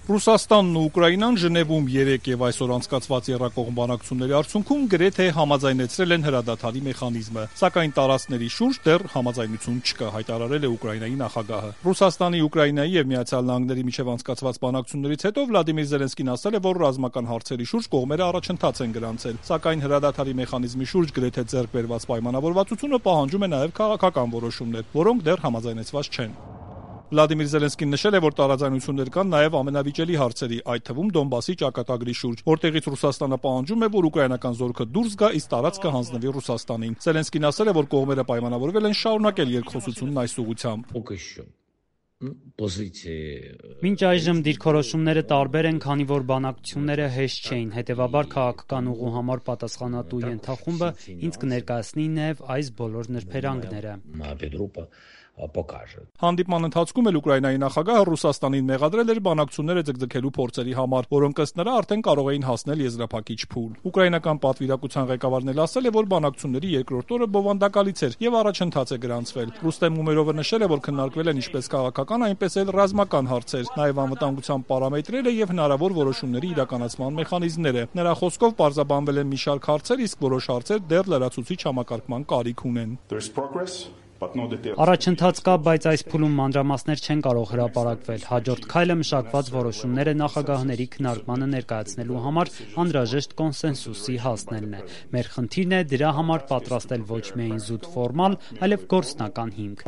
Ռուսաստանն ու Ուկրաինան Ժնևում 3 եւ այսօր անցկացված եռակողմ բանակցությունների արդյունքում գրեթե համաձայնեցրել են հրադադարի մեխանիզմը, սակայն տարածքների շուրջ դեռ համաձայնություն չկա, հայտարարել է Ուկրաինայի նախագահը։ Ռուսաստանի, Ուկրաինայի եւ Միացյալ Նահանգների միջև անցկացված բանակցություններից հետո Վլադիմիր Զելենսկին ասել է, որ ռազմական հարցերի շուրջ կողմերը առաջընթաց են գրանցել, սակայն հրադադարի մեխանիզմի շուրջ գրեթե ձեռք բերված պայմանավորվածությունը պահանջում է նաեւ քաղաքական որոշումներ, որոնք դեռ համաձայնեցված չեն։ Վլադիմիր Զելենսկին նշել է, որ տարաձայնություններ կան նաև ամենավիճելի հարցերի, այդ թվում Դոնբասի ճակատագրի շուրջ, որտեղից Ռուսաստանը պահանջում է, որ ուկրաինական զորքը դուրս գա, իսկ տարածքը հանձնվի Ռուսաստանին։ Զելենսկին ասել է, որ կողմերը պայմանավորվել են շարունակել երկխոսությունն այս ուղղությամբ։ Մինչ այժմ դիրքորոշումները տարբեր են, քանի որ բանակցությունները հեշտ չէին, հետևաբար քաղաքական ուղու համար պատասխանատու ենթախումբը ինձ կներկայացնի նաև այս բոլոր նրբերանգները։ Հանդիպման ընթացքում էլ Ուկրաինայի նախագահը Ռուսաստանին մեղադրել էր բանակցությունները ձգձգելու փորձերի համար, որոնք ըստ նրա արդեն կարող էին հասնել եզրափակիչ փուլ։ Ուկրաինական պատվիրակության ղեկավարն էլ ասել է, որ բանակցությունների երկրորդ օրը բովանդակալից էր եւ առաջընթաց է գրանցվել։ Ռուստեմ Ումերովը նշել է, որ քննարկվել են ինչպես քաղաքական, այնպես էլ ռազմական հարցեր, նաեւ անվտանգության պարամետրերը եւ հնարավոր որոշումների իրականացման մեխանիզմները։ Նրա խոսքով պարզաբանվել են մի շարք հարցեր, իսկ որոշ հարցեր դեռ լրացուցիչ համակարգման կարիք ունեն։ Առաջընթաց կա, բայց այս փուլում մանրամասներ չեն կարող հրապարակվել։ Հաջորդ քայլը մշակված որոշումները նախագահների քննարկմանը ներկայացնելու համար անհրաժեշտ կոնսենսուսի հասնելն է։ Մեր խնդիրն է դրա համար պատրաստել ոչ միայն զուտ ֆորմալ, այլև գործնական հիմք։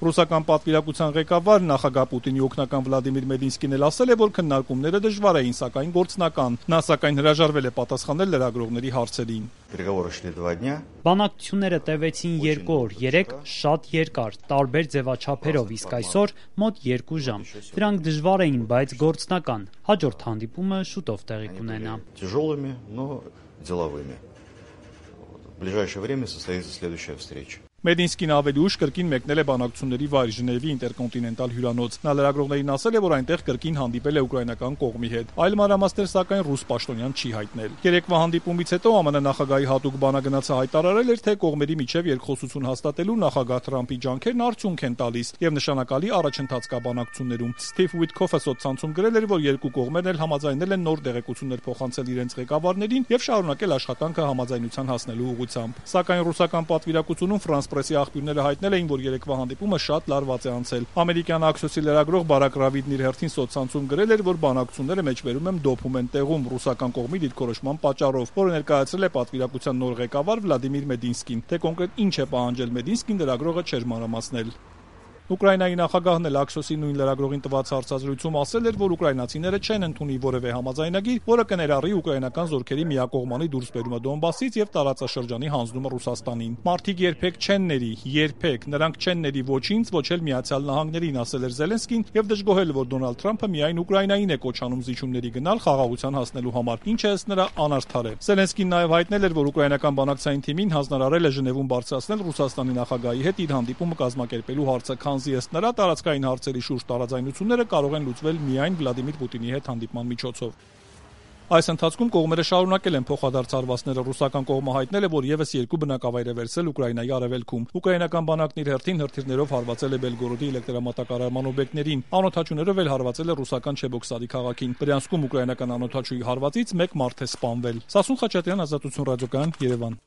Ռուսական պատվիրակության ղեկավար նախագահ Պուտինի օգնական Վլադիմիր Մեդինսկին էլ ասել է, որ քննարկումները դժվար էին, սակայն գործնական։ Նա սակայն հրաժարվել է պատասխանել լրագրողների հարցերին։ Բանակցությունները տևեցին 2 օր, 3 շատ երկար, տարբեր ձևաչափերով, իսկ այսօր մոտ 2 ժամ։ Դրանք դժվար էին, բայց գործնական։ Հաջորդ հանդիպումը շուտով տեղի կունենա։ Մեդինսկին ավելի ուշ կրկին մեկնել է բանակցությունների վայր Ժնևի ինտերկոնտինենտալ հյուրանոց։ Նա լրագրողներին ասել է, որ այնտեղ կրկին հանդիպել է ուկրաինական կողմի հետ։ Այլ մանրամասներ սակայն ռուս պաշտոնյան չի հայտնել։ Երեկվա հանդիպումից հետո ԱՄՆ նախագահի հատուկ բանագնացը հայտարարել էր, թե կողմերի միջև երկխոսություն հաստատելու նախագահ Թրամփի ջանքերն արդյունք են տալիս եւ նշանակալի առաջընթաց կա բանակցություններում։ Սթիվ Ուիտքոֆը սոցցանցում գրել էր, որ երկու կողմերն էլ համաձայնել են նոր տեղեկություններ փոխանցել իրենց ղեկավարներին եւ շարունակել աշխատանքը համաձայնության հասնելու ուղղությամբ։ Սակայն ռուսական պատվիրակությունում Պրեսի աղբյուրները հայտնել էին, որ երեկվա հանդիպումը շատ լարված է անցել։ Ամերիկյան Աքսիոսի լրագրող Բարակ Ռավիդն իր հերթին սոցցանցում գրել էր, որ բանակցությունները մեջբերում են դոփում են տեղում ռուսական կողմի դիրքորոշման պատճառով, որը ներկայացրել է պատվիրակության նոր ղեկավար Վլադիմիր Մեդինսկին։ Թե կոնկրետ ինչ է պահանջել Մեդինսկին, լրագրողը չէր մանրամասնել։ Ուկրաինայի նախագահն էլ Աքսիոսի նույն լրագրողին տված հարցազրույցում ասել էր, որ ուկրաինացիները չեն ընդունի որևէ համաձայնագիր, որը կներառի ուկրաինական զորքերի միակողմանի դուրսբերումը Դոնբասից եւ տարածաշրջանի հանձնումը Ռուսաստանին։ Մարդիկ երբեք չեն ների, երբեք, նրանք չեն ների ոչինչ, ոչ էլ Միացյալ Նահանգներին, ասել էր Զելենսկին եւ դժգոհել, որ Դոնալդ Թրամփը միայն Ուկրաինային է կոչանում զիջումների գնալ խաղաղության հասնելու համար, ինչը ըստ նրա անարդար է։ Զելենսկին նաեւ հայտնել էր, որ ուկրաինական բանակցային թիմին հանձնարարել է Ժնևում բարձրացնել Ռուսաստանի նախագահի հետ իր հանդիպումը կազմակերպելու հարցը, քանզի ըստ նրա տարածքային հարցերի շուրջ տարաձայնությունները կարող են լուծվել միայն Վլադիմիր Պուտինի հետ հանդիպման միջոցով։ Այս ընթացքում կողմերը շարունակել են փոխադարձ հարվածները։ Ռուսական կողմը հայտնել է, որ եւս 2 բնակավայր է վերցրել Ուկրաինայի արևելքում։ Ուկրաինական բանակն իր հերթին հրթիռներով հարվածել է Բելգորոդի էլեկտրամատակարարման օբյեկտներին։ Անօդաչուներով էլ հարվածել է ռուսական Չեբոքսարի քաղաքին։ Բրյանսկում ուկրաինական անօդաչուի հարվածից 1 մարդ է սպանվել։ Սասուն Խաչատրյան, Ազատություն ռադիոկայան, Երևան։